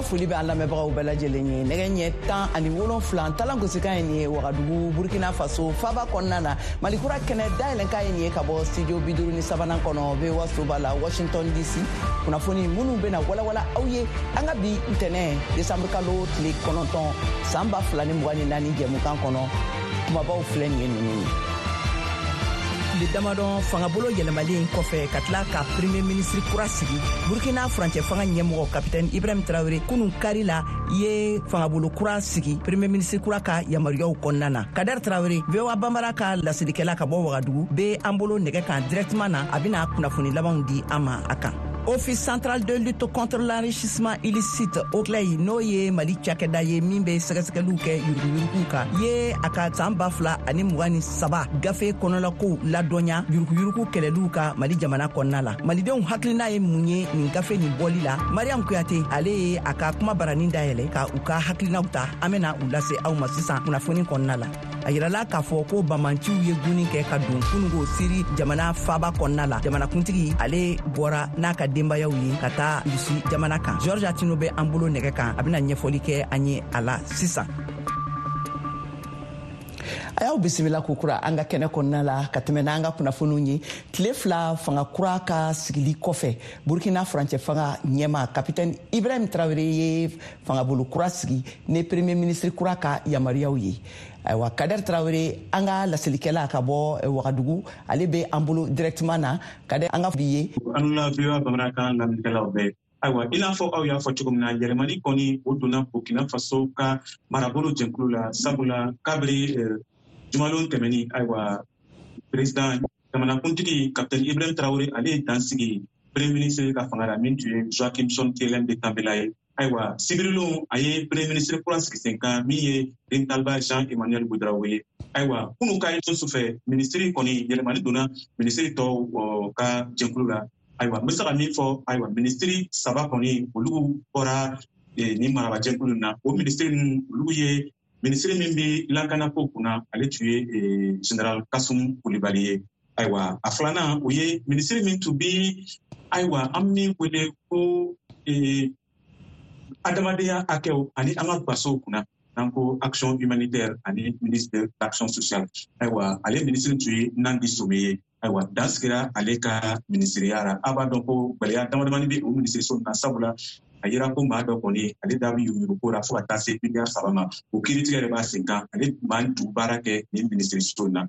Foli bɛ an lamɛnbagaw bɛɛ lajɛlen ye. Nɛgɛ ɲɛ 17, talan gosikan ye nin ye Wagadugu, Burkina Faso faba kɔnɔna na. Malikura kɛnɛ dayɛlɛnkan ye nin ye ka bɔ studio 53nan kɔnɔ, VOA soba la, Washington DC. Kunnafoni minnu bɛna walawala aw ye an ka bi ntɛnɛ, desanburu kalo tile 9, san 2024 jɛmukan kɔnɔ, kumabaw filɛ nin ye ninnu ye. Tile damadɔ fangabolo yɛlɛmalen kɔfɛ ka tila ka premier ministre kura sigi, Burkina furancɛ fanga ɲɛmɔgɔ Kapitɛni Ibrahim Traore kunun kari la ye fangabolo kura sigi premier ministre kura ka yamaruyaw kɔnɔna na. Kader Traore, VOA Banbara ka laselikɛla ka bɔ Wagadugu, be an bolo nɛgɛ kan directement na. A bɛna kunnafoni labanw di an ma a kan. Office central de lutte contre l'enrichissement illicite, OCLEI, n'o ye Mali cakɛda ye min bɛ sɛgɛsɛgɛliw kɛ yuruguyuruguw kan, ye a ka san 2023 gafe kɔnɔlakow ladɔnya yuruguyurugu kɛlɛliw ka Mali jamana kɔnɔna la. Malidenw hakilina ye mun ye nin gafe nin bɔli la? Mariam Kuyate, ale ye a ka kuma baranin dayɛlɛ ka u ka hakilinaw ta. An bɛna u lase aw ma sisan kunnafoni kɔnɔna la. A yirala k'a fɔ ko bamanciw ye gunni kɛ ka don kunungo Siri jamana faba kɔnɔna la. Jamanakuntigi, ale bɔra n'a ka denbayaw ye ka taa Rusi jamana kan. Georgia Tino bɛ an bolo nɛgɛ kan, a bɛna ɲɛfɔli kɛ an ye a la sisan. A y'aw bisimila kokura an ka kɛnɛ kɔnɔna la ka tɛmɛ n'an ka kunnafoniw ye. Tile 2 fanga kura ka sigili kɔfɛ, Burkina furancɛ fanga ɲɛma Kapitɛni Ibrahim Traoré ye fangabolo kura sigi ni premier ministre kura ka yamaruyaw ye. Ayiwa, Kader Traoré, an ka laselikɛla ka bɔ Wagadugu, ale bɛ an bolo directement na. Kader, an ka bi ye. An la VOA bamanankan lamɛnnikɛlaw bɛɛ. Ayiwa, i n'a fɔ aw y'a fɔ cogo min na, yɛlɛmani kɔni o donna Burkina Faso ka marabolo jɛnkulu la, sabula kabiri jumalon tɛmɛni, ayiwa, président, jamanakuntigi Capitaine Ibrahim Traoré, ale ye dan sigi premier ministre ka fanga la min tun ye Joachim Kyélem de Tambela ye. Ayiwa, sibirilon a ye premier ministre kura sigi sen kan min ye Rimtalba Jean Emmanuel Ouedraogo ye. Ayiwa, kunu ka ye sufɛ, minisiri kɔni yɛlɛmani donna minisiri tɔw ka jɛnkulu la. Ayiwa, n bɛ se ka min fɔ, ayiwa, minisiri saba kɔni olu bɔra ni marabajɛkulu na. O minisiri ninnu, olu ye minisiri min bɛ lakanako kunna, ale tun ye général Kasum Kulibali ye. Ayiwa, a filanan, o ye minisiri min tun bɛ, ayiwa, an min wele ko adamadenya hakɛw ani an ka gasow kunna, n'an ko action humanitaire ani ministre de l'action sociale, ayiwa, ale minisiri tun ye Nandi Some ye. Ayiwa, dan sigira ale ka minisiriya la. A b'a dɔn ko gwɛlɛya damadamani bɛ o minisiriso na, sabula a yira ko maa dɔ kɔni, ale da bɛ yuruguyurugu la fo ka taa se miliyari 3 ma. O kiiritigɛ de b'a sen kan. Ale maa tun baara kɛ nin minisiriso na.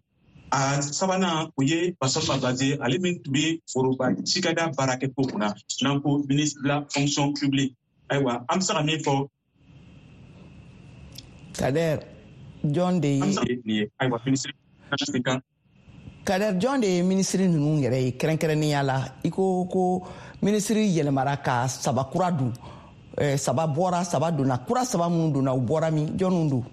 A sabanan, o ye Bassolma Bazié, ale min tun bɛ foroba cikɛda baarakɛ ko kunna, n'an ko ministre de la fonction publique. Ayiwa, an bɛ se ka min fɔ. Kader, jɔn de ye nin ye, ayiwa, minisiri sen kan. Kader, jɔn de ye minisiri ninnu yɛrɛ ye kɛrɛnkɛrɛnnenya la? I ko ko minisiri yɛlɛmara ka saba kura dun, saba bɔra, saba donna. Kura saba minnu donna, u bɔra min? Jɔnniw don?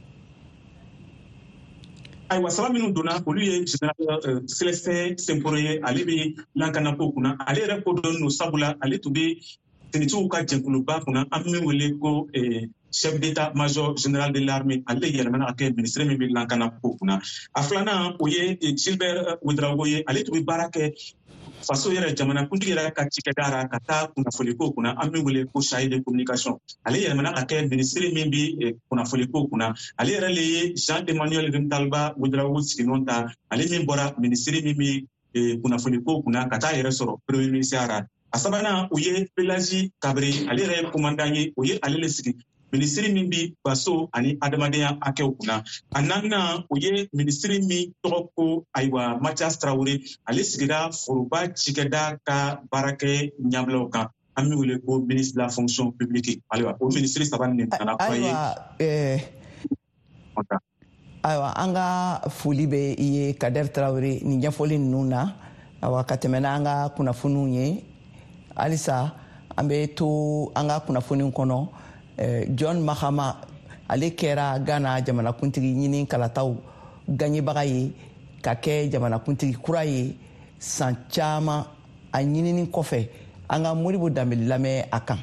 Ayiwa, saba minnu donna, olu ye général Célestin Simporé ye. Ale bɛ lakanako kunna. Ale yɛrɛ kodɔn don, sabula ale tun bɛ finitigiw ka jɛkuluba kunna, an bɛ min wele ko chef d'état-major général de l'armée. Ale de yɛlɛmana ka kɛ ministre min bɛ lakanako kunna. A filanan, o ye Gilbert Ouedraogo ye. Ale tun bɛ baara kɛ faso yɛrɛ jamanakuntigi yɛrɛ ka cikɛda ra ka taa kunnafoliko kunna, an bɛ wele ko chargé de communication. Ale yɛlɛmana ka kɛ ministre min bɛ kunnafoliko kunna. Ale yɛrɛ le ye Jean Emmanuel Rimtalba Ouedraogo siginɔ ta, ale min bɔra ministre min bɛ kunnafoliko kunna ka taa yɛrɛ sɔrɔ premier ministre ra. A sabanan, o ye Pélagie Kabré, ale yɛrɛ ye commandant ye. O ye ale le sigi minisiri min bi faso ani adamadenya hakɛw kunna. A naaninan, o ye minisiri min tɔgɔ ko, ayiwa, Mathias Traoré. Ale sigira foroba cikɛda ka baarakɛ ɲabilaw kan, an min wele ko ministre de la fonction publique. Ayiwa, o minisiri saba nin nana kura ye. Ayiwa, an ka foli bɛ i ye, Kader Traoré, nin ɲɛfɔli ninnu na. Ayiwa, ka tɛmɛ n'an ka kunnafoniw ye, halisa an bɛ to an ka kunnafoniw kɔnɔ. John Mahama, ale kɛra Ghana jamanakuntigi ɲini kalataw gaɲɛbaga ye ka kɛ jamanakuntigi kura ye san caman a ɲinini kɔfɛ. An ka Modibo Danbele lamɛn a kan.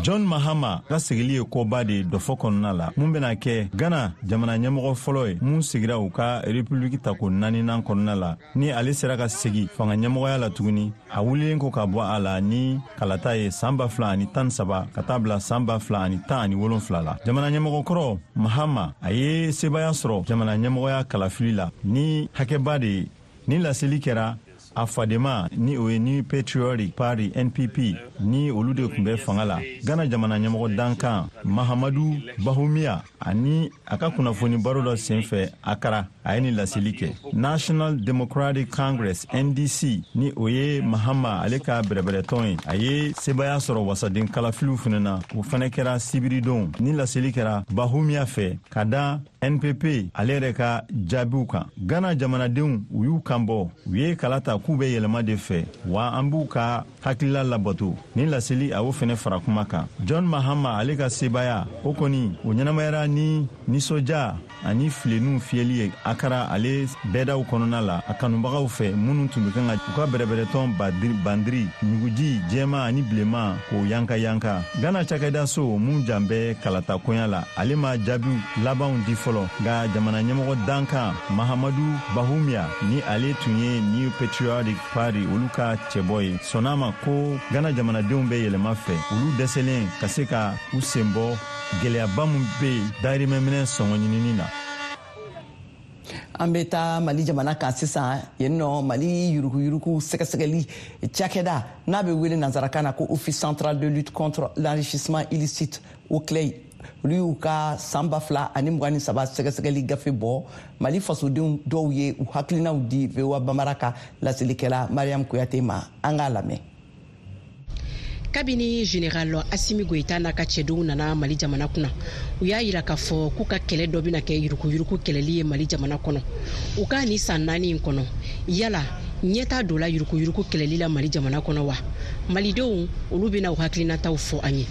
John Mahama ka sigili ye koba de ye dɔfɔ kɔnɔna la, mun bɛna kɛ Ghana jamana ɲɛmɔgɔ fɔlɔ ye mun sigira u ka republiki tako naaninan kɔnɔna la, ni ale sera ka segi fanga ɲɛmɔgɔya la tuguni, a wulilen ko ka bɔ a la ni kalata ye san 2013 ka taa bila san 2017 la. Jamana ɲɛmɔgɔ kɔrɔ Mahama, a ye sebaya sɔrɔ jamana ɲɛmɔgɔya kalafili la ni hakɛba de ye. Ni laseli kɛra a fadema, ni o ye New Patriotic Party, NPP, ni olu de tun bɛ fanga la. Ghana jamana ɲɛmɔgɔ dankan Mahamadu Bawumia ani a ka kunnafoni baro dɔ senfɛ Akara, a ye nin laseli kɛ. National Democratic Congress, NDC, ni o ye Mahama ale ka bɛrɛbɛrɛtɔn ye, a ye sebaya sɔrɔ wasaden kalafiliw fana na, o fana kɛra sibiridon. Ni laseli kɛra Bawumia fɛ ka da NPP ale yɛrɛ ka jaabiw kan. Ghana jamanadenw, u y'u kan bɔ, u ye kala ta k'u bɛ yɛlɛma de fɛ, wa an b'u ka hakilila labato. Ni laseli, a y'o fɛnɛ fara kuma kan. John Mahama ale ka sebaya o kɔni, o ɲɛnamayara ni nisɔndiya ani filenninw fiyɛli ye Akara ale bɛɛdaw kɔnɔna la, a kanubagaw fɛ minnu tun bɛ kan ka u ka bɛrɛbɛrɛtɔn bandiri ɲuguji jɛma ani bilenman k'o yanka yanka. Ghana cakɛdaso mun jan bɛ kalata koɲa la, ale ma jaabiw labanw di fɔlɔ, nka jamana ɲɛmɔgɔ dankan Mahamadu Bawumia, ni ale tun ye New Patriotic Party olu ka cɛbɔ ye, sɔnna ma ko Ghana jamanadenw bɛ yɛlɛma fɛ, olu dɛsɛlen ka se ka u sen bɔ gwɛlɛyaba min bɛ yen dayirimɛminɛ sɔngɔ ɲinini na. An bɛ taa Mali jamana kan sisan. Yen nɔ, Mali yuruguyurugu sɛgɛsɛgɛli cakɛda n'a bɛ wele nansarakan na ko Office central de lutte contre l'enrichissement illicite, OCLEI, olu y'u ka san 2023 sɛgɛsɛgɛli gafe bɔ. Mali fasodenw dɔw ye u hakilinaw di VOA Bambara ka laselikɛla Mariam Kuyate ma. An k'a lamɛn. Kabini Général Asimi Goyita n'a ka cɛdenw nana Mali jamana kunna, u y'a yira k'a fɔ k'u ka kɛlɛ dɔ bɛna kɛ yuruguyurugu kɛlɛli ye Mali jamana kɔnɔ. U ka ni san 4 in kɔnɔ, yala ɲɛta dɔ la yuruguyurugu kɛlɛli la Mali jamana kɔnɔ wa? Malidenw, olu bɛna u hakilinataw fɔ an ye.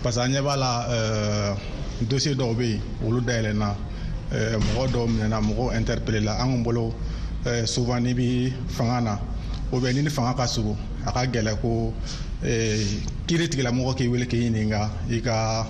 Parce que an ɲɛ b'a la, dossier dɔw bɛ yen, olu dayɛlɛnna, mɔgɔ dɔw minɛna, mɔgɔw interpellé la. An kun bolo, souvent n'i bi fanga na ou bien ni ni fanga ka surun, a ka gɛlɛ ko kiiri tigilamɔgɔ k'i wele k'i ɲininka i ka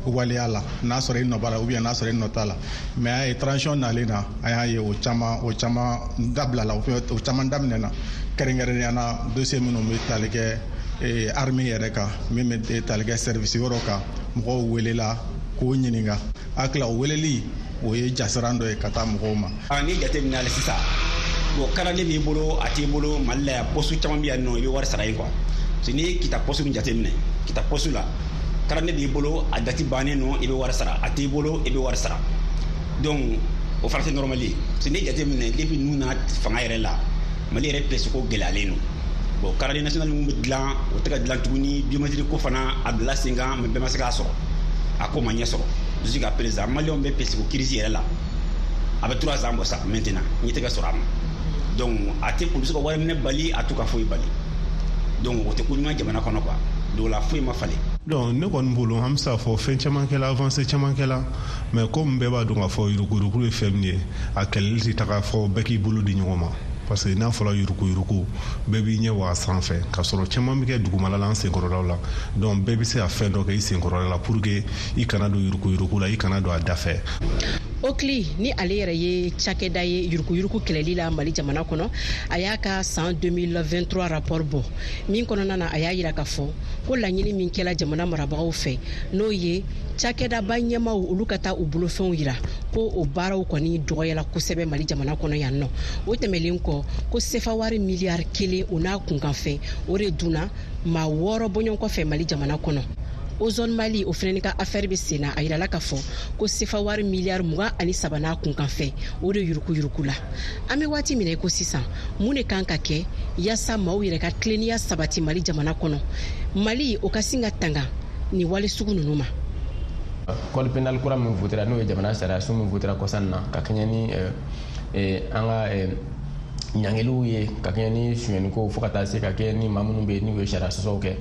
waleya la, n'a sɔrɔ i nɔ b'a la ou bien n'a sɔrɔ i nɔ t'a la. Mais a ye transition nalen na, an y'a ye o caman dabilala, o caman daminɛna, kɛrɛnkɛrɛnnenya na dossier minnu bɛ tali kɛ armée yɛrɛ kan, min bɛ tali kɛ service wɛrɛw kan. Mɔgɔw welela k'o ɲininka. Hakili o weleli, o ye jasiran dɔ ye ka taa mɔgɔw ma. N'i jateminɛ hali sisan, bon, carte b'i bolo, a t'i bolo, Mali la yan, poste caman bɛ yan nɔ, i bɛ wari sara yen quoi. Parce que n'i ye Kita poste min jateminɛ, Kita poste la, carte b'i bolo, a date bannen nɔ, i bɛ wari sara, a t'i bolo, i bɛ wari sara. Donc o fana tɛ normal ye. Parce que n'i jateminɛ, depuis ninnu nana fanga yɛrɛ la, Mali yɛrɛ pièce ko gɛlɛyalen don. Bon, carte nationale mun bɛ dilan, o tɛ ka dilan tuguni. Biométrique ko fana, a bila sen kan, mais bɛɛ ma se k'a sɔrɔ, a ko ma ɲɛ sɔrɔ jusqu'à présent. Maliyɛnw bɛ pièce ko crise yɛrɛ la, a bɛ 3 ans bɔ sa maintenant, ɲɛ tɛ ka sɔrɔ a ma. Donc a tɛ polisi ka wari minɛ bali, a t'u ka foyi bali. Donc o tɛ ko ɲuman jamana kɔnɔ quoi. Donc la foyi ma falen. Donc ne kɔni bolo, an bɛ se k'a fɔ fɛn caman kɛla, avancée caman kɛla, mais komi bɛɛ b'a dɔn k'a fɔ yuruguyurugu ye fɛn min ye, a kɛlɛli tɛ taga fɔ bɛɛ k'i bolo di ɲɔgɔn ma, parce que n'a fɔra yuruguyurugu, bɛɛ b'i ɲɛ wa sanfɛ, k'a sɔrɔ caman bɛ kɛ dugumala la, an senkɔrɔlaw la. Donc bɛɛ bɛ se ka fɛn dɔ kɛ i senkɔrɔla la pour que i kana don yuruguyurugu la, i kana don a da fɛ. OCLEI, ni ale yɛrɛ ye cakɛda ye yuruguyurugu kɛlɛli la Mali jamana kɔnɔ, a y'a ka san 2023 rapport bɔ min kɔnɔna na, a y'a yira k'a fɔ ko laɲini min kɛla jamana marabagaw fɛ, n'o ye cakɛdaba ɲɛmaw olu ka taa u bolofɛnw yira, ko o baaraw kɔni dɔgɔyala kosɛbɛ Mali jamana kɔnɔ yan nɔ. O tɛmɛlen kɔ, ko sefa wari miliyari 1 o n'a kunkanfɛn, o de dunna maa wɔɔrɔ bɔɲɔgɔn kɔfɛ Mali jamana kɔnɔ. Ozone Mali, o fɛnɛ ka affaire bɛ sen na, a yirala k'a fɔ ko sefa wari miliyari 23 n'a kunkanfɛn, o de yuruguyurugu la. An bɛ waati min na i ko sisan, mun de kan ka kɛ yaasa maaw yɛrɛ ka tilennenya sabati Mali jamana kɔnɔ, Mali o ka sin ka tanga nin wale sugu ninnu ma? Code pénal kura min votera, n'o ye jamana sariya sun min votera kɔsan na, ka kɛɲɛ ni an ka ɲangiliw ye, ka kɛɲɛ ni sonyɛniko, fo ka taa se ka kɛ ni maa minnu bɛ yen n'u ye sariya sɔsɔw kɛ,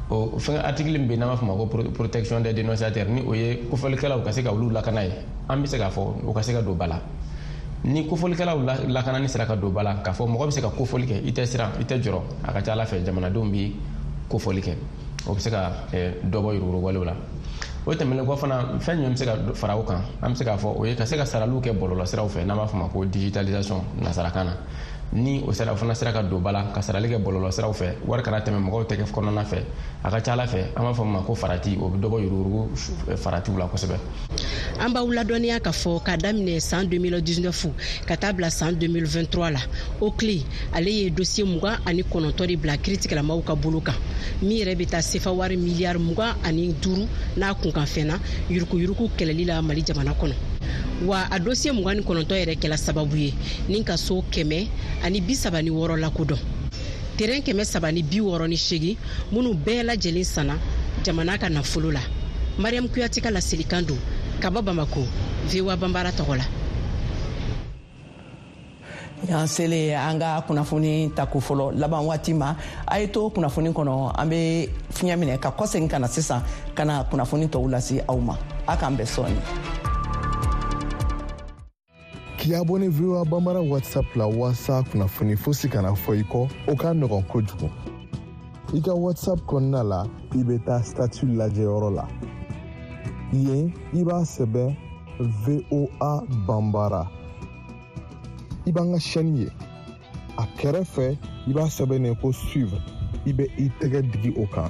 o fɛn article min bɛ yen n'an b'a fɔ o ma ko protection des dénonciateurs, ni o ye kofɔlikɛlaw ka se ka olu lakana ye, an bɛ se k'a fɔ o ka se ka don ba la. Ni kofɔlikɛlaw lakanani sera ka don ba la, k'a fɔ mɔgɔ bɛ se ka kofɔli kɛ, i tɛ siran, i tɛ jɔrɔ, a ka ca ala fɛ jamanadenw bɛ kofɔli kɛ. O bɛ se ka dɔ bɔ yuruguyurugu la. O tɛmɛnen kɔ fana, fɛn jumɛn bɛ se ka fara o kan? An bɛ se k'a fɔ o ye ka se ka saraliw kɛ bɔlɔlɔsiraw fɛ, n'an b'a fɔ o ma ko digitalisation nasarakan na. Ni o sera, o fana sera ka don ba la ka sarali kɛ bɔlɔlɔsiraw fɛ, wari kana tɛmɛ mɔgɔw tɛgɛ kɔnɔna fɛ, a ka ca ala fɛ, an b'a fɔ min ma ko farati, o bɛ dɔ bɔ yuruguyurugu faratiw la kosɛbɛ. An b'aw ladɔnniya k'a fɔ k'a daminɛ san 2019 ka taa bila san 2023 la, OCLEI ale ye dosiye 29 de bila kiritigɛlamaw ka bolo kan, min yɛrɛ bɛ taa sefa wari miliyari 25 n'a kunkanfɛn na yuruguyurugu kɛlɛli la Mali jamana kɔnɔ. Wa a dosiye 29 yɛrɛ kɛla sababu ye ni ka so 136 lakodɔn, terɛn 368 minnu bɛɛ lajɛlen sanna jamana ka nafolo la. Mariam Kuyate ka laselikan don ka bɔ Bamako, VOA Banbara tɔgɔ la. An selen an ka kunnafoni tako fɔlɔ laban waati ma, a ye to kunnafoni kɔnɔ, an bɛ fiɲɛ minɛ ka kɔsegin ka na sisan ka na kunnafoni tɔw lase aw ma. A k'an bɛn sɔɔni. K'i abonné VOA Bambara WhatsApp la waasa kunnafoni fosi kana fɔ i kɔ, o ka nɔgɔn kojugu. I ka WhatsApp kɔnɔna la, i bɛ taa statut lajɛyɔrɔ la. Yen, i b'a sɛbɛn VOA Bambara. I b'an ka chaîne ye. A kɛrɛfɛ, i b'a sɛbɛn ko suivre. I bɛ i tɛgɛ digi o kan.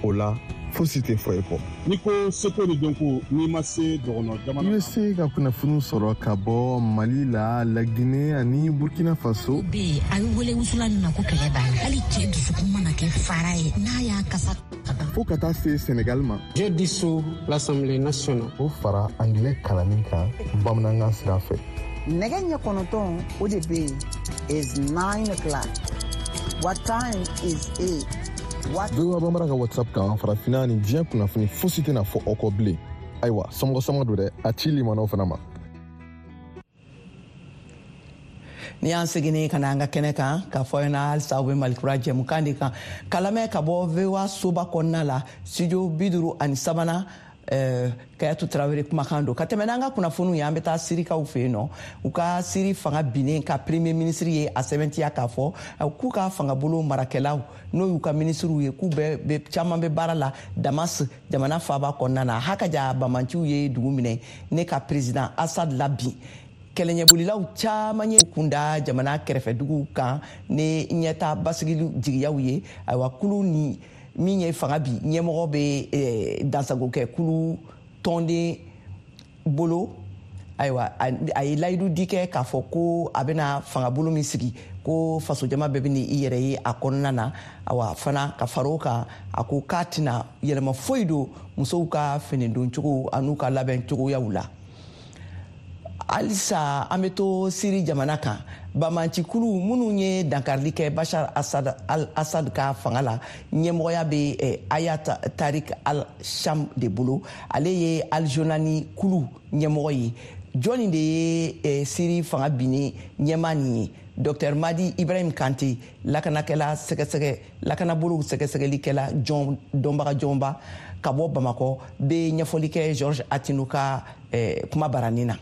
O la, fosi tɛ fɔ i kɔ. N'i ko seko ni dɔnko, n'i ma se dɔgɔnɔ jamana. I bɛ se ka kunnafoniw sɔrɔ ka bɔ Mali la, Laginɛ ani Burkina Faso. Bɛ yen, a bɛ wele wusula min ma ko kɛlɛ b'a la. Hali cɛ dusukun mana kɛ fara ye, n'a y'a kasa ka ban. Fo ka taa se Senegal ma. Je dissous l'Assemblée nationale. O fara angilɛ kalanni kan bamanankan sira fɛ. Nɛgɛ ɲɛ 9, o de bɛ yen, is 9 o'clock. What time is it? What? VOA Bambara ka WhatsApp kan, farafinna ni diɲɛ kunnafoni fosi tɛna fɔ aw kɔ bilen. Ayiwa, somɔgɔ sama don dɛ, a ci limanaw fana ma. Ni y'an seginni ka na an ka kɛnɛ kan k'a fɔ ɲɛna, halisa aw bɛ Malikura jɛmukan de kan ka lamɛn ka bɔ VOA soba kɔnɔna la, studio 53nan. Kayatu Tarawele kumakan don. Ka tɛmɛ n'an ka kunnafoniw ye, an bɛ taa Sirikaw fɛ yen nɔ. U ka Siri fanga binnen ka premier ministre ye a sɛbɛntiya k'a fɔ k'u ka fangabolo marakɛlaw, n'o y'u ka minisiriw ye, k'u bɛɛ caman bɛ baara la Damas, jamana faaba kɔnɔna na. Hakaja bamanciw ye dugu minɛ ne ka président Assad labin. Kɛlɛɲɛbolilaw caman ye kunda jamana kɛrɛfɛduguw kan ni ɲɛta basigili jigiyaw ye. Ayiwa, kulu ni min ye fanga bi ɲɛmɔgɔ bɛ dansagokɛ kulu tɔnden bolo, ayiwa, a ye layidu di kɛ k'a fɔ ko a bɛna fangabolo min sigi, ko fasojama bɛɛ bɛ i yɛrɛ ye a kɔnɔna na. Awa fana, ka fara o kan, a ko k'a tɛna yɛlɛma foyi don musow ka finidoncogo an'u ka labɛn cogoyaw la. Halisa an bɛ to Siri jamana kan. Bamancikulu minnu ye dankarili kɛ Bashar Asad, al Assad ka fanga la, ɲɛmɔgɔya bɛ Hayat Tahrir al Sham de bolo. Ale ye Aljolani kulu ɲɛmɔgɔ ye. Jɔnni de ye Siri fanga binnen ɲɛmaa nin ye? Dr Madi Ibrahim Kante, lakanakɛla sɛgɛsɛgɛ, lakanabolow sɛgɛsɛgɛlikɛla jɔn, dɔnbaga jɔnba ka bɔ Bamakɔ, bɛ ɲɛfɔli kɛ George Atino ka kuma baranin na.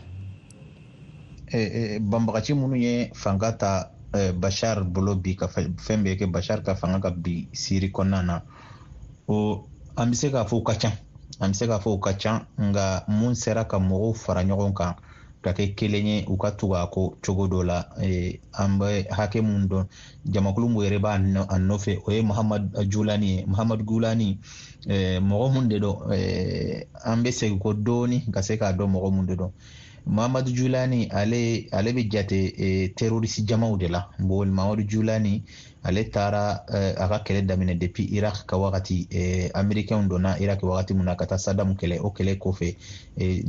Banbagaci minnu ye fanga ta Bashar bolo bi, ka fɛn bɛɛ kɛ Bashar ka fanga ka bi Siri kɔnɔna na, o an bɛ se k'a fɔ u ka ca, an bɛ se k'a fɔ u ka ca. Nka mun sera ka mɔgɔw fara ɲɔgɔn kan ka kɛ kelen ye, u ka tugu a kɔ cogo dɔ la, an bɛ hakɛ mun dɔn, jamakulu mun yɛrɛ b'a a nɔfɛ, o ye Muhamad Julani ye. Muhamad Julani, mɔgɔ mun de don? An bɛ segin kɔ dɔɔni ka se k'a dɔn mɔgɔ mun de don. Muhamadu Julani, ale bɛ jate terroriste jamaw de la. Bon, Muhamadu Julani, ale taara a ka kɛlɛ daminɛ depuis Irak ka wagati. Américain donna Irak wagati mun na ka taa Saddam kɛlɛ, o kɛlɛ kɔfɛ,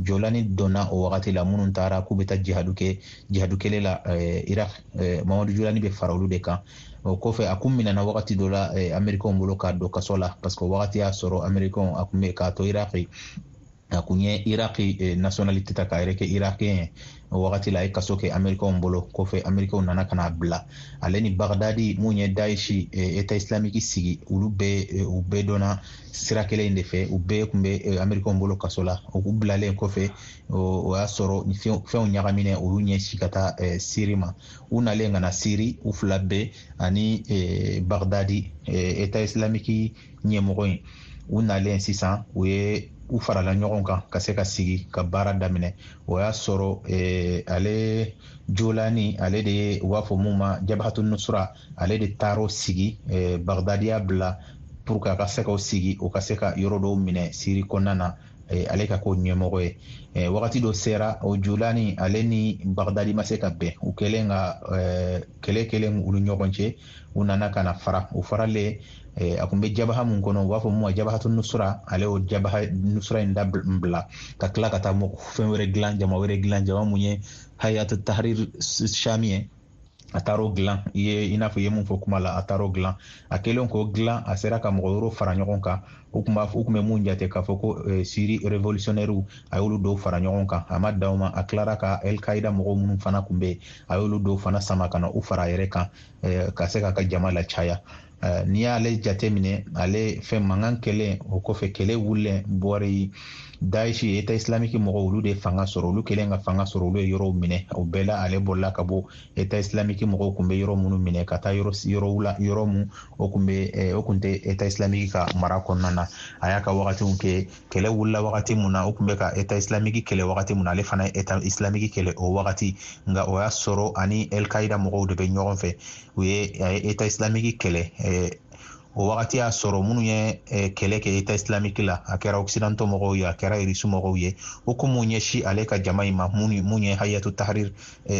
Jolani donna o wagati la. Minnu taara k'u bɛ taa jihadu kɛ, jihadu kɛlɛ la Irak, Muhamadu Julani bɛ fara olu de kan. O kɔfɛ, a kun minɛna wagati dɔ la américain bolo k'a don kaso la, parce que o wagati y'a sɔrɔ américain a kun bɛ k'a to Irak, a kun ye Iraki nationalité ta k'a yɛrɛ kɛ irakien ye. O wagati la a ye kaso kɛ Amerikɛnw bolo. Kɔfɛ Amerikɛnw nana ka n'a bila. Ale ni Bagdadi mun ye Daesh, État islamique sigi, olu bɛɛ u bɛɛ dɔnna sira kelen in de fɛ. U bɛɛ tun bɛ Amerikɛnw bolo kaso la. U bilalen kɔfɛ, o y'a sɔrɔ fɛnw ɲagaminen, u y'u ɲɛsin ka taa Siri ma. U nalen ka na Siri, u fila bɛɛ ani Bagdadi, État islamique ɲɛmɔgɔ in, u nalen sisan, u ye u farala ɲɔgɔn kan ka se ka sigi ka baara daminɛ. O y'a sɔrɔ ale Jolani, ale de ye u b'a fɔ mun ma Jabhatu Nusra, ale de taar'o sigi. Bagdadi y'a bila pour que a ka se k'o sigi, o ka se ka yɔrɔ dɔw minɛ Siri kɔnɔna na, ale ka k'o ɲɛmɔgɔ ye. Wagati dɔ sera, o Jolani ale ni Bagdadi ma se ka bɛn. U kɛlen ka kɛlɛ kɛlen u ni ɲɔgɔn cɛ, u nana ka na fara. U faralen, a kun bɛ jabaha mun kɔnɔ, u b'a fɔ mun ma Jabhatu Nusra, ale y'o Jabaha Nusra in dabila ka tila ka taa fɛn wɛrɛ dilan, jama wɛrɛ dilan, jama mun ye Hayat Tahrir Shami ye. A taar'o dilan, i ye i n'a fɔ i ye mun fɔ kuma la, a taar'o dilan. A kɛlen k'o dilan, a sera ka mɔgɔ wɛrɛw fara ɲɔgɔn kan. U kun b'a fɔ, u kun bɛ mun jate k'a fɔ ko Siri révolutionnaire, a y'olu dɔw fara ɲɔgɔn kan. A ma dan o ma, a tilara ka El Qaida mɔgɔw minnu fana kun bɛ yen, a y'olu dɔw fana sama ka na u fara a yɛrɛ kan, ka se k'a ka jama lacaya. N'i y'ale jate minɛ, ale fɛn mankan kɛlen o kɔfɛ, kɛlɛ wulilen bɔri Daesh, État islamique mɔgɔw, olu de fanga sɔrɔ. Olu kɛlen ka fanga sɔrɔ, olu ye yɔrɔw minɛ. O bɛɛ la, ale bolila ka bɔ État islamique mɔgɔw kun bɛ yɔrɔ minnu minɛ ka taa yɔrɔw la, yɔrɔ mun o kun bɛ o kun tɛ État islamique ka mara kɔnɔna na. A y'a ka wagatiw kɛ. Kɛlɛ wulila wagati mun na, o kun bɛ ka État islamique kɛlɛ wagati mun na, ale fana ye État islamique kɛlɛ o wagati. Nka o y'a sɔrɔ ani El Qaida mɔgɔw de bɛ ɲɔgɔn fɛ. U ye a ye État islamique kɛlɛ. O wagati y'a sɔrɔ minnu ye kɛlɛ kɛ État islamique la, a kɛra occidentaux mɔgɔw ye, a kɛra Russe mɔgɔw ye, o kun m'u ɲɛsin ale ka jama in ma, mun ye Hayatu Tahrir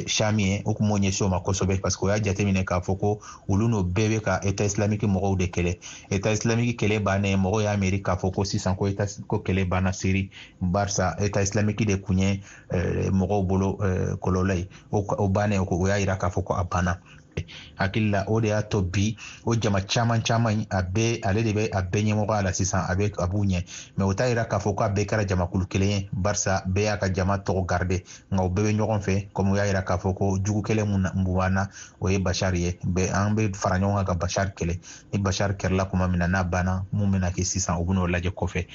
Shami ye, o kun m'o ɲɛsin o ma kosɛbɛ, parce que o y'a jateminɛ k'a fɔ ko olu n'o bɛɛ bɛ ka État islamique mɔgɔw de kɛlɛ. État islamique kɛlɛ bannen, mɔgɔw y'a miiri k'a fɔ ko sisan ko État ko kɛlɛ banna Siri, barisa État islamique de kun ye mɔgɔw bolo kɔlɔlɔ ye. O bannen, o y'a yira k'a fɔ ko a banna. Hakili la, o de y'a to bi o jama caman caman, a bɛɛ ale de bɛ a bɛɛ ɲɛmɔgɔya la sisan, a bɛ a b'u ɲɛ. Mɛ o t'a yira k'a fɔ k'a bɛɛ kɛra jamakulu kelen ye, barisa bɛɛ y'a ka jama tɔgɔ garde, nka u bɛɛ bɛ ɲɔgɔn fɛ. Komi u y'a yira k'a fɔ ko jugu kɛlɛ mun b'an na, o ye Bashar ye, bɛɛ an bɛ fara ɲɔgɔn kan ka Bashar kɛlɛ. Ni Bashar kɛlɛla tuma min na, n'a banna, mun bɛna kɛ sisan, u bɛn'o lajɛ kɔfɛ.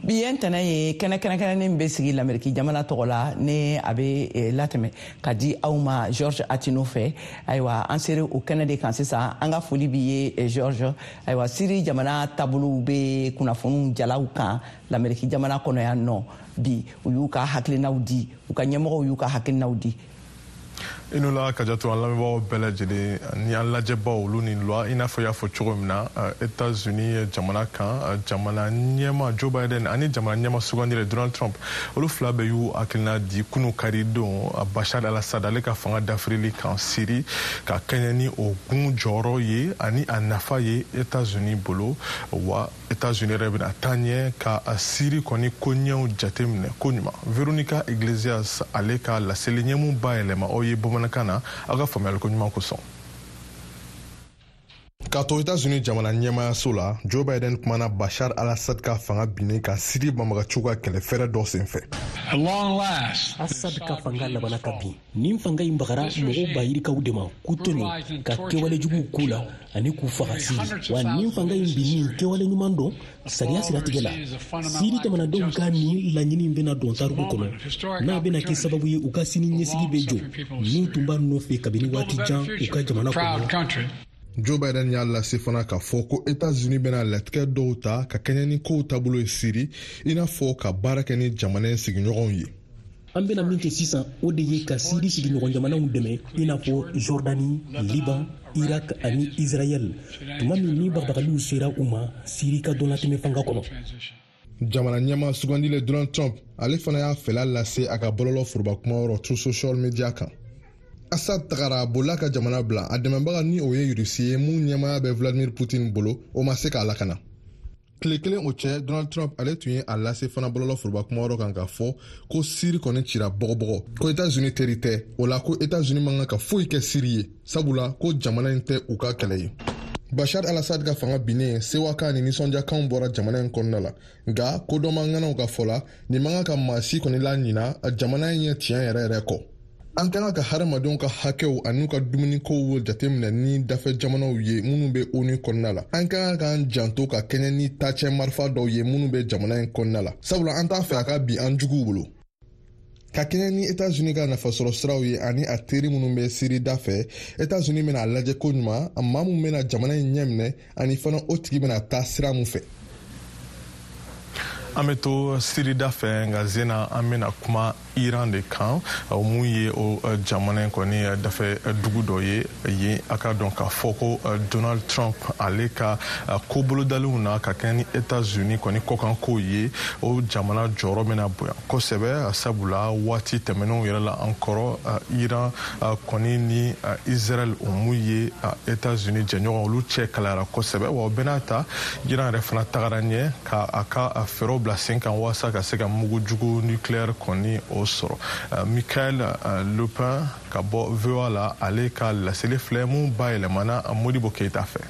Bi ye ntɛnɛn ye, kɛnɛ kɛrɛnkɛrɛnnen bɛ sigi Lameriki jamana tɔgɔ la, ni a bɛ latɛmɛ ka di aw ma George Atino fɛ. Ayiwa, an sera o kɛnɛ de kan sisan. An ka foli b'i ye, George. Ayiwa, Siri jamana taabolow bɛ kunnafoniw jalaw kan Lameriki jamana kɔnɔ yan nɔ. Bi u y'u ka hakilinaw di, u ka ɲɛmɔgɔw y'u ka hakilinaw di. I n'o la, Kajatu, an lamɛnbagaw bɛɛ lajɛlen ni an lajɛbaw, olu ni loi. I n'a fɔ i y'a fɔ cogo min na, États-Unis jamana kan, jamana ɲɛma Joe Biden ani jamana ɲɛma sugandire Donald Trump, olu fila bɛɛ y'u hakilina di kunu kari don Bashar al-Assad ale ka fanga dafirili kan Siri, ka kɛɲɛ ni o gun jɔyɔrɔ ye ani a nafa ye États-Unis bolo. Wa États-Unis yɛrɛ bɛna taa ɲɛ ka Siri kɔni koɲɛw jateminɛ koɲuman. Veronica Iglesias ale ka laseli ɲɛmu bayɛlɛma aw ye bamanankan na, aw ka faamuyali ko ɲuman kosɔn. K'a to Etats-Unis jamana ɲɛmayaso la, Joe Biden kumana Bashar al-Assad ka fanga binnen ka Siri banbagaciw ka kɛlɛ fɛrɛ dɔ senfɛ. Assad ka fanga labana ka bin. Nin fanga in bagara mɔgɔw ba yirikaw de ma k'u tɔɲɔ, ka kɛwale juguw k'u la ani k'u faga Siri. Wa nin fanga in binni kɛwale ɲuman don sariya siratigɛ la. Siri jamanadenw ka nin laɲini bɛna don tariku kɔnɔ, n'a bɛna kɛ sababu ye u ka sini ɲɛsigi bɛ jɔ min tun b'a nɔfɛ kabini waati jan u ka jamana kɔnɔ. Joe Biden y'a lase fana k'a fɔ ko Etats-Unis bɛna latigɛ dɔw ta ka kɛɲɛ ni kow taabolo ye Siri, i n'a fɔ ka baara kɛ ni jamana in sigiɲɔgɔnw ye. An bɛna min kɛ sisan, o de ye ka Siri sigiɲɔgɔn jamanaw dɛmɛ, i n'a fɔ Jordani, Liban, Irak ani Israɛl, tuma min ni bagabagaliw sera u ma Siri ka dɔnnatɛmɛ fanga kɔnɔ. Jamana ɲɛma sugandile Donald Trump ale fana y'a fɛla lase a ka bɔlɔlɔ foroba kumayɔrɔ Truth Social Media kan. Assad tagara, a bolila ka jamana bila. A dɛmɛbaga ni o ye Rusi ye, mun ɲɛmaya bɛ Vladimir Putin bolo, o ma se k'a lakana. Tile kelen o cɛ, Donald Trump ale tun ye a lase fana bɔlɔlɔ foroba kumayɔrɔ kan k'a fɔ ko Siri kɔni cira bɔgɔbɔgɔ, ko Etats-Unis teri tɛ, o la ko Etats-Unis man kan ka foyi kɛ Siri ye, sabula ko jamana in tɛ u ka kɛlɛ ye. Bashar al-Assad ka fanga binnen, sewakan ni nisɔndiyakanw bɔra jamana in kɔnɔna la. Nka kodɔnma ŋanaw ka fɔ la, nin man kan ka maa si kɔni laɲina jamana in ye tiɲɛ yɛrɛ yɛrɛ kɔ. An ka kan ka hadamadenw ka hakɛw an'u ka dumunikow jateminɛ ni dafɛ jamanaw ye minnu bɛ ONU kɔnɔna la. An ka kan k'an janto ka kɛɲɛ ni taacɛ marifa dɔw ye minnu bɛ jamana in kɔnɔna la, sabula an t'a fɛ a ka bin an juguw bolo. Ka kɛɲɛ ni Etats-Unis ka nafasɔrɔ siraw ye ani a teri minnu bɛ Siri da fɛ, Etats-Unis bɛna a lajɛ ko ɲuman maa min bɛna jamana in ɲɛminɛ ani fana o tigi bɛna taa sira mun fɛ. An bɛ to Siri da fɛ, nka zena an bɛna kuma Iran de kan, o mun ye o jamana in kɔni dafɛ dugu dɔ ye yen. A ka dɔn k'a fɔ ko Donald Trump, ale ka ko bolodalenw na ka kɛ ni Etats-Unis kɔni kɔkankow ye, o jamana jɔyɔrɔ bɛna bonya kosɛbɛ, sabula waati tɛmɛnenw yɛrɛ la an kɔrɔ, Iran kɔni ni Israel, o mun ye Etats-Unis jɛɲɔgɔn, olu cɛ kalayara kosɛbɛ. Wa o bɛɛ n'a ta, Iran yɛrɛ fana tagara ɲɛ ka a ka fɛɛrɛw bila sen kan walasa ka se ka mugujugu nucléaire kɔni o sɔrɔ. Michael Lupin ka bɔ VOA la, ale ka laseli filɛ mun bayɛlɛmana Modibo Keyita fɛ.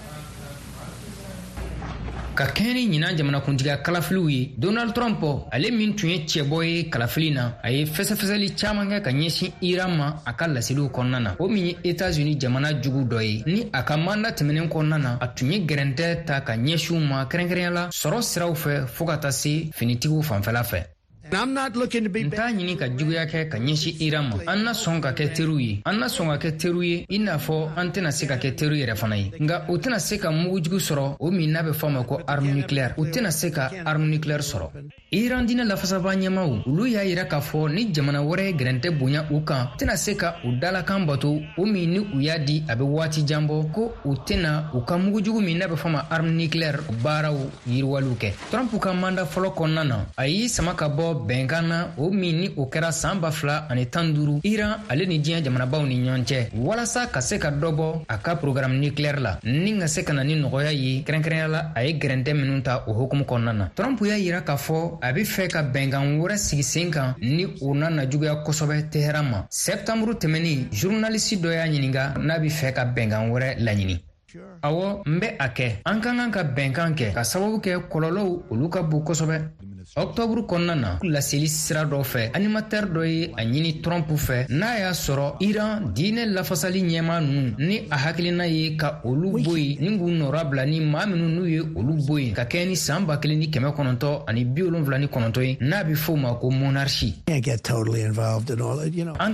Ka kɛɲɛ ni ɲinan jamanakuntigiya kalafiliw ye, Donald Trump, ale min tun ye cɛbɔ ye kalafili na, a ye fɛsɛfɛsɛli caman kɛ ka ɲɛsin Iran ma a ka laseliw kɔnɔna na, o min ye Etats-Unis jamana jugu dɔ ye ni a ka manda tɛmɛnen kɔnɔna na, a tun ye gɛrɛntɛ ta ka ɲɛsin u ma, kɛrɛnkɛrɛnya la sɔrɔ siraw fɛ fɔɔ ka taa se finitigiw fanfɛla fɛ. N t'a ɲini ka juguya kɛ ka ɲɛsin Iran ma. An na sɔn ka kɛ teriw ye, an na sɔn ka kɛ teriw ye, i n'a fɔ an tɛna se ka kɛ teriw yɛrɛ fana ye. Nka u tɛna se ka mugujugu sɔrɔ, o min n'a bɛ fɔ a ma ko arme nucléaire. U tɛna se ka arme nucléaire sɔrɔ. Iran diinɛ lafasaba ɲɛmaw, olu y'a yira k'a fɔ ni jamana wɛrɛ ye gɛrɛntɛ bonya u kan, tɛna se ka u dalakan bato, o min ni u y'a di a bɛ waati jan bɔ, ko u tɛna u ka mugujugu min n'a bɛ fɔ a ma arme nucléaire baaraw yiriwaliw kɛ. Trump ka manda fɔlɔ kɔnɔna na, a y'i sama ka bɔ bɛnkan na, o min ni o kɛra san 2015 Iran ale ni diɲɛ jamanabaw ni ɲɔgɔn cɛ, walasa ka se ka dɔ bɔ a ka programme nucléaire la ni ka se ka na ni nɔgɔya ye, kɛrɛnkɛrɛnya la a ye gɛrɛntɛ minnu ta o hukumu kɔnɔna na. Trump y'a yira k'a fɔ a bɛ fɛ ka bɛnkan wɛrɛ sigi sen kan ni o na na juguya kosɛbɛ Teheran ma. Sɛptanburu tɛmɛnen, journaliste dɔ y'a ɲininka n'a bɛ fɛ ka bɛnkan wɛrɛ laɲini. Awɔ, n bɛ a kɛ. An ka kan ka bɛnkan kɛ ka sababu kɛ kɔlɔlɔw olu ka bon kosɛbɛ. Ɔktɔburu kɔnɔna na, laseli sira dɔ fɛ, animateur dɔ ye a ɲini Trump fɛ n'a y'a sɔrɔ Iran diinɛ lafasali ɲɛmaa ninnu ni a hakilina ye ka olu bɔ yen ni k'u nɔra bila ni maa minnu n'u ye olu bɔ yen ka kɛɲɛ ni san 1979 ye, n'a bɛ f'o ma ko monarchie. An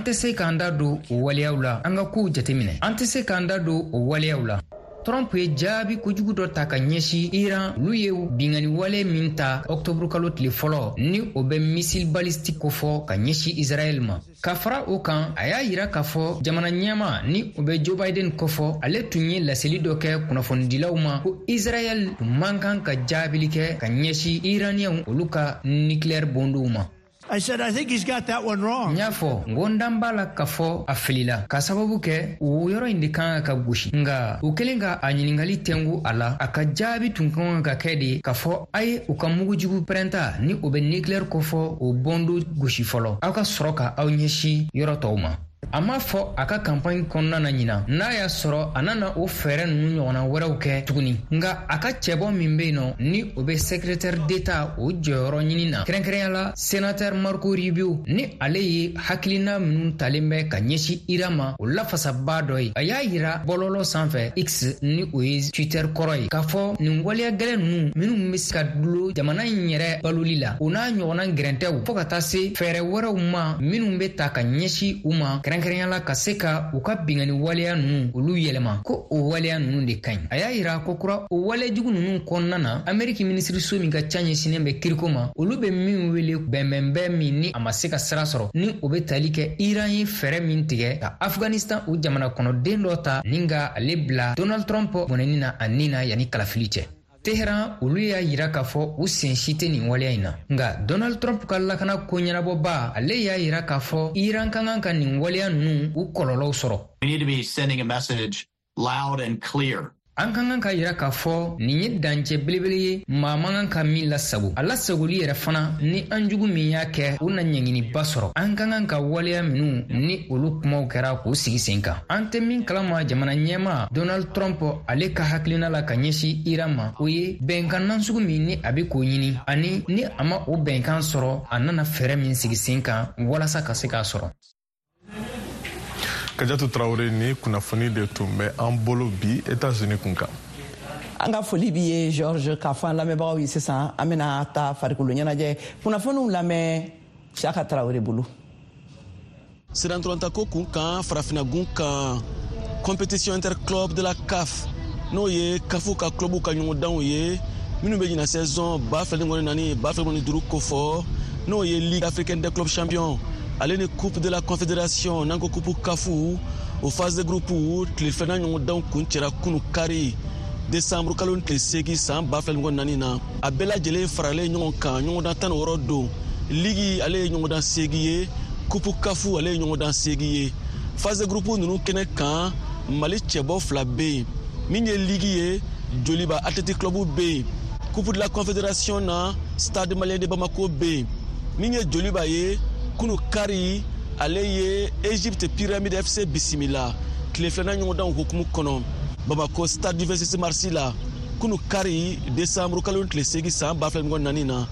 tɛ se k'an da don o waleyaw la, an ka kow jateminɛ. An tɛ se k'an da don o waleyaw la. Trump ye jaabi kojugu dɔ ta ka ɲɛsin Iran, olu ye binkanni wale min ta ɔktɔburu kalo tile fɔlɔ, ni o bɛ missile balistique kofɔ ka ɲɛsin Israɛl ma. Ka fara o kan, a y'a yira k'a fɔ jamana ɲɛma ni o bɛ Joe Biden kofɔ, ale tun ye laseli dɔ kɛ kunnafonidilaw ma ko Israɛl tun man kan ka jaabili kɛ ka ɲɛsin Iraniyɛnw olu ka nucléaire bondow ma. I said, I think he's got that one wrong. N y'a fɔ n ko n dan b'a la k'a fɔ a filila, ka sababu kɛ o yɔrɔ in de kan ka gosi. Nka u kɛlen ka a ɲininkali tɛngu a la, a ka jaabi tun kan ka kɛ de k'a fɔ a ye u ka mugujugu pɛrɛnta ni o bɛ nucléaire kofɔ o bɔndo gosi fɔlɔ, aw ka sɔrɔ ka aw ɲɛsin yɔrɔ tɔw ma. A m'a fɔ a ka kanpaɲi kɔnɔna na ɲinan n'a y'a sɔrɔ a nana o fɛɛrɛ ninnu ɲɔgɔnna wɛrɛw kɛ tuguni. Nka a ka cɛbɔ min bɛ yen nɔ ni o bɛ secrétaire d'État o jɔyɔrɔ ɲini na, kɛrɛnkɛrɛnya la sénateur Marco Rubio, ni ale ye hakilina minnu talen bɛ ka ɲɛsin Iran ma o lafasabaa dɔ ye, a y'a yira bɔlɔlɔ sanfɛ X, ni o ye Twitter kɔrɔ ye, k'a fɔ nin waleya gɛlɛn ninnu minnu bɛ se ka dulo jamana in yɛrɛ baloli la, o n'a ɲɔgɔnna gɛrɛntɛw, fɔɔ ka taa se fɛɛrɛ wɛrɛw ma minnu bɛ ta ka ɲɛsin u ma, kɛrɛnkɛrɛnya la ka se ka u ka binkanni waleya ninnu olu yɛlɛma, ko o waleya ninnu de ka ɲi. A y'a yira ko kura o walejugu ninnu kɔnɔna na, Ameriki minisiriso min ka ca ɲɛsinnen bɛ kiriko ma, olu bɛ min wele bɛnbɛnbɛn min ni a ma se ka sira sɔrɔ, ni o bɛ tali kɛ Iran ye fɛɛrɛ min tigɛ ka Afghanistan o jamana kɔnɔden dɔ ta ni ka ale bila Donald Trump bɔnɛni na a nin na yanni kalafili cɛ. Teheran olu y'a yira k'a fɔ u sen si tɛ nin waleya in na. Nka Donald Trump ka lakana ko ɲɛnabɔba, ale y'a yira k'a fɔ Iran ka kan ka nin waleya ninnu u kɔlɔlɔw sɔrɔ. We need to be sending a message loud and clear. An ka kan ka yira k'a fɔ nin ye dancɛ belebele ye, maa man kan ka min lasago. A lasagoli yɛrɛ fana, ni an jugu min y'a kɛ, o na ɲɛnginiba sɔrɔ. An ka kan ka waleya minnu ni olu kumaw kɛra k'u sigi sen kan. An tɛ min kalama jamana ɲɛmaa Donald Trump ale ka hakilina la ka ɲɛsin Iran ma, o ye bɛnkan nasugu min ni a bɛ k'o ɲini, ani ni a ma o bɛnkan sɔrɔ, a nana fɛɛrɛ min sigi sen kan walasa ka se k'a sɔrɔ. Kajatu Traoré, ni kunnafoni de tun bɛ an bolo bi États-Unis kun kan. An ka foli b'i ye, George. K'a fɔ an lamɛnbagaw ye sisan, an bɛna taa farikolo ɲɛnajɛ kunnafoniw lamɛn Siyaka Traoré bolo. Sirantolantako kun kan, farafinagun kan, compétition interclub de la CAF, n'o ye CAF ka club ka ɲɔgɔndanw ye minnu bɛ ɲina saison 2024 2025 kofɔ, n'o ye Ligue africaine des clubs champions ale ni Coupe de la Confédération, n'an ko Coupe CAF, o phase de groupe tile filanan ɲɔgɔndanw kuncɛra kunu kari, desanburu kalo tile 8 san 2024 na. A bɛɛ lajɛlen faralen ɲɔgɔn kan, ɲɔgɔndan 16 don. Ligue ale ye ɲɔgɔndan 8 ye, Coupe CAF ale ye ɲɔgɔndan 8 ye. Phase de groupe ninnu kɛnɛ kan, Mali cɛbɔ fila bɛ yen. Min ye ligue ye, Joliba Athletic Club bɛ yen. Coupe de la Confédération na, Stade Malien de Bamako bɛ yen. Min ye Joliba ye, kunu kari ale ye Egypte Pyramide FC bisimila tile filanan ɲɔgɔndanw hukumu kɔnɔ Bamako Stade du 26 mars la, kunu kari, desanburu kalo tile 8 san 2024 na.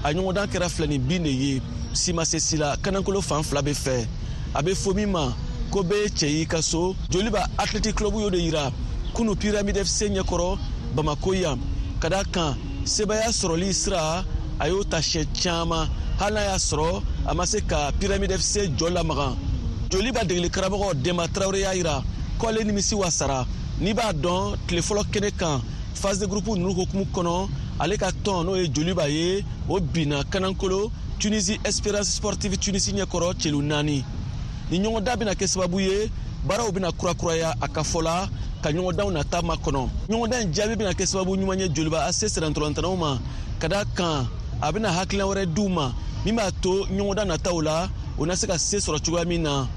A ɲɔgɔndan kɛra 2 ni 1 de ye, si ma se si la, kanankolo fan fila bɛ fɛ. A bɛ fɔ min ma ko bɛɛ ye cɛ y'i ka so, Joliba Athletic Club y'o de yira kunu Pyramide FC ɲɛkɔrɔ Bamako yan. Ka da kan sebaya sɔrɔli sira, a y'o ta siɲɛ caman, hali n'a y'a sɔrɔ a ma se ka Pyramide FC jɔ lamagan. Joliba degeli karamɔgɔ Denba Tarawele y'a yira ko ale nimisi wasara. N'i b'a dɔn, tile fɔlɔ kɛnɛ kan, phase de groupe ninnu hukumu kɔnɔ, ale ka tɔn, n'o ye Joliba ye, o binna kanankolo Tunisie Espérance Sportive Tunisie ɲɛkɔrɔ celu 4. Ni ɲɔgɔndan bɛna kɛ sababu ye baaraw bɛna kurakuraya a ka fɔ la ka ɲɔgɔndanw nata makɔnɔ. Ɲɔgɔndan in jaabi bɛna kɛ sababu ɲuman ye Joliba AC sirantolantanaw ma, ka da kan a bɛna hakilina wɛrɛ d'u ma min b'a to ɲɔgɔndan nataw la, o na se ka se sɔrɔ cogoya min na.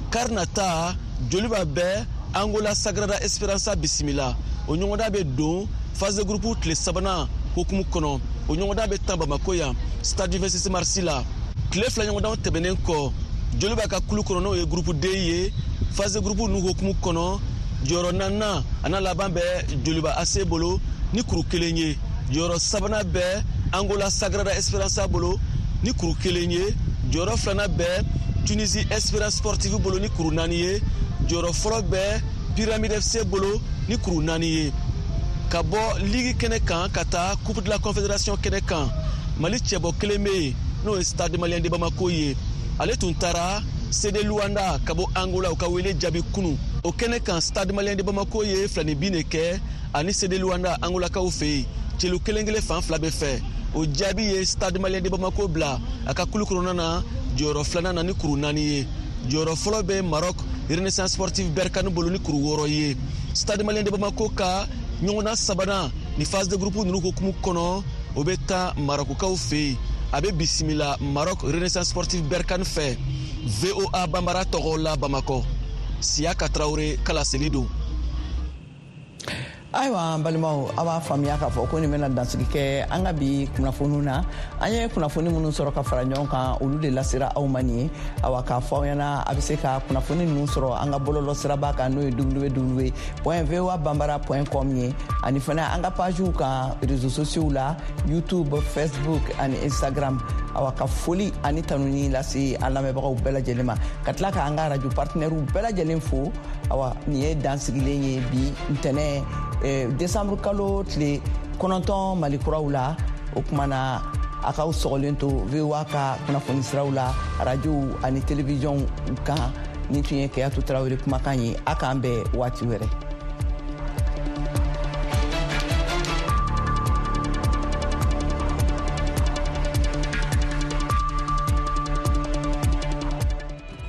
Kari nata, Joliba bɛ Angola Sagrada Esperança bisimila. O ɲɔgɔndan bɛ don phase de groupe tile sabanan hukumu kɔnɔ. O ɲɔgɔndan bɛ tan Bamako yan, Stade du 26 mars la. Tile fila ɲɔgɔndanw tɛmɛnen kɔ, Joliba ka kulu kɔnɔ, n'o ye groupe D ye, phase de groupe ninnu hukumu kɔnɔ, jɔyɔrɔ naaninan a n'a laban bɛ Joliba AC bolo ni kuru 1 ye. Jɔyɔrɔ sabanan bɛ Angola Sagrada Esperança bolo ni kuru 1 ye. Jɔyɔrɔ filanan bɛ Tunisie Espérance Sportive bolo ni kuru 4 ye. Jɔyɔrɔ fɔlɔ bɛ Pyramide FC bolo ni kuru 4 ye. Ka bɔ ligue kɛnɛ kan ka taa Coupe de la Confédération kɛnɛ kan, Mali cɛbɔ kelen bɛ yen, n'o ye Stade Malien de Bamako ye. Ale tun taara CD Luanda ka bɔ Angola, u ka wele jaabi kunu. O kɛnɛ kan, Stade Malien de Bamako ye 2 ni 1 de kɛ ani CD Luanda Angolakaw fɛ yen, celu kelen kelen fan fila bɛ fɛ. O jaabi ye Stade Malien de Bamako bila a ka kulu kɔnɔna na jɔyɔrɔ filanan na ni kuru 4 ye. Jɔyɔrɔ fɔlɔ bɛ Maroc Renaissance Sportive Berkane bolo ni kuru 6 ye. Stade Malien de Bamako ka ɲɔgɔndan sabanan ni phase de groupe ninnu hukumu kɔnɔ, o bɛ taa Marokukaw fɛ yen. A bɛ bisimila Maroc Renaissance Sportive Berkane fɛ. VOA Banbara tɔgɔ la Bamakɔ, Siyaka Tarawele ka laseli don. Ayiwa, an balimaw, a b'a faamuya k'a fɔ ko nin bɛna dansigi kɛ an ka bi kunnafoniw na. An ye kunnafoni minnu sɔrɔ ka fara ɲɔgɔn kan, olu de lasera aw ma nin ye. Awa, k'a fɔ aw ɲɛna, a bɛ se ka kunnafoni ninnu sɔrɔ an ka bɔlɔlɔ siraba kan, n'o ye www.voabambara.com ye, ani fana an ka pagew kan réseaux sociaux la, YouTube, Facebook ani Instagram. Awa, ka foli ani tanuni lase an lamɛnbagaw bɛɛ lajɛlen ma, ka tila ka an ka radio partenaires bɛɛ lajɛlen fo. Awa, nin ye dansigilen ye bi ntɛnɛ, décembre kalo tile 9, Mali kuraw la. O kuma na, a k'aw sɔgɔlen to VOA ka kunnafoni siraw la, radiow ani télévisionw kan. Nin tun ye Keyatu Tarawele kumakan ye. A k'an bɛn waati wɛrɛ.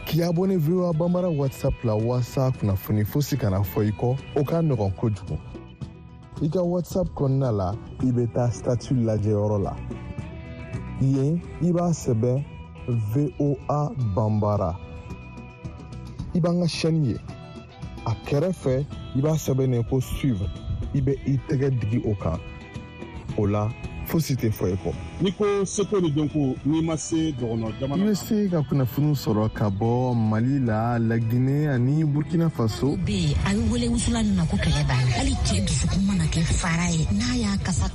K'i abonné VOA Bambara WhatsApp la waasa kunnafoni fosi kana fɔ i kɔ, o ka nɔgɔn kojugu. I ka WhatsApp kɔnɔna la, i bɛ taa statut lajɛyɔrɔ la. Yen, i b'a sɛbɛn VOA Bambara, i b'an ka chaîne ye. A kɛrɛfɛ, i b'a sɛbɛn ko suivre. I bɛ i tɛgɛ digi o kan. O la, fosi tɛ fɔ i kɔ. N'i ko seko ni dɔnko, n'i ma se dɔgɔnɔ jamana. I bɛ se ka kunnafoniw sɔrɔ ka bɔ Mali la, Lagine ani Burkina Faso. Bɛ yen, a bɛ wele wusulan min ma ko kɛlɛ b'a la. Hali cɛ dusukun mana kɛ fara ye, n'a y'a kasa.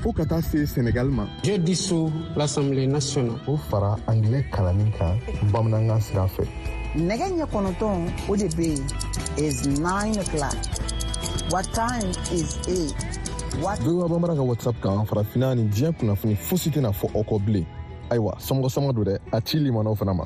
Fo ka taa se Senegal ma. J'ai dissous l'Assemblée nationale. O fara angilɛ kalanni kan bamanankan sira fɛ. Nɛgɛ ɲɛ 9, o de bɛ yen is 9 o'clock. What time is it? What VOA Bambara ka WhatsApp kan, farafinna ni diɲɛ kunnafoni fosi tɛna fɔ aw kɔ bilen. Ayiwa, sɔmɔgɔ sama don dɛ, a ci limanaw fana ma.